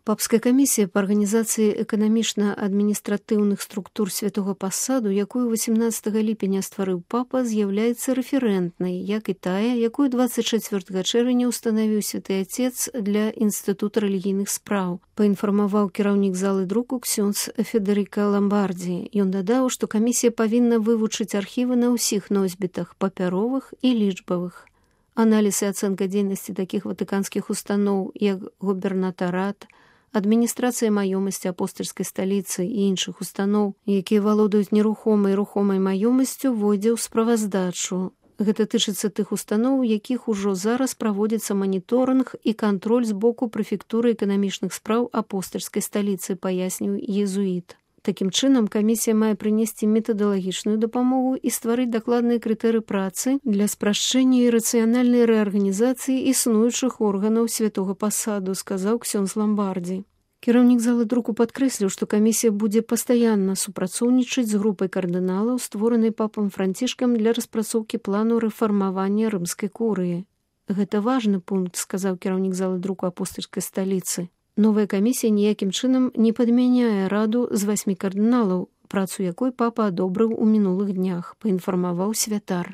Папская камісія па арганізацыі эканамічна-адміністратыўных структур святога пасаду, якую 18 ліпеня стварыў папа, з'яўляецца рэферэнтнай, як і тая, якую 24 чэрвеня ўстанавіў святы Отец для Інстытута рэлігійных спраў, паінфармаваў кіраўнік залы друку ксёндз Федэрыка Ламбардзі. Ён дадаў, што камісія павінна вывучыць архівы на ўсіх носьбітах, папяровых і лічбавых. Аналіз і ацэнка дзейнасці такіх ватыканскіх устаноў, як губернатарат, адміністрацыя маёмасці апостальскай сталіцы і іншых устаноў, якія валодаюць нерухомай і рухомай маёмасцю, войдзе ў справаздачу. Гэта тычыцца тых устаноў, у якіх ужо зараз праводзіцца маніторынг і кантроль з боку прэфектуры эканамічных спраў апостальскай сталіцы, паясніў езуіт. Такім чынам, камісія мае прынесці метадалагічную дапамогу і стварыць дакладныя крытэрыі працы для спрашчэння і рацыянальнай рэарганізацыі існуючых органаў святога пасаду, сказаў ксёндз Ламбардзі. Кіраўнік залы друку падкрэсліў, што камісія будзе пастаянна супрацоўнічаць з групай кардыналаў, створанай папам Францішкам для распрацоўкі плану рэфармавання рымскай курыі. Гэта важны пункт, сказаў кіраўнік залы друку апостальскай сталіцы. Новая камісія ніякім чынам не падмяняе раду з 8 кардыналаў, працу якой папа адобрыў у мінулых днях, паінфармаваў святар.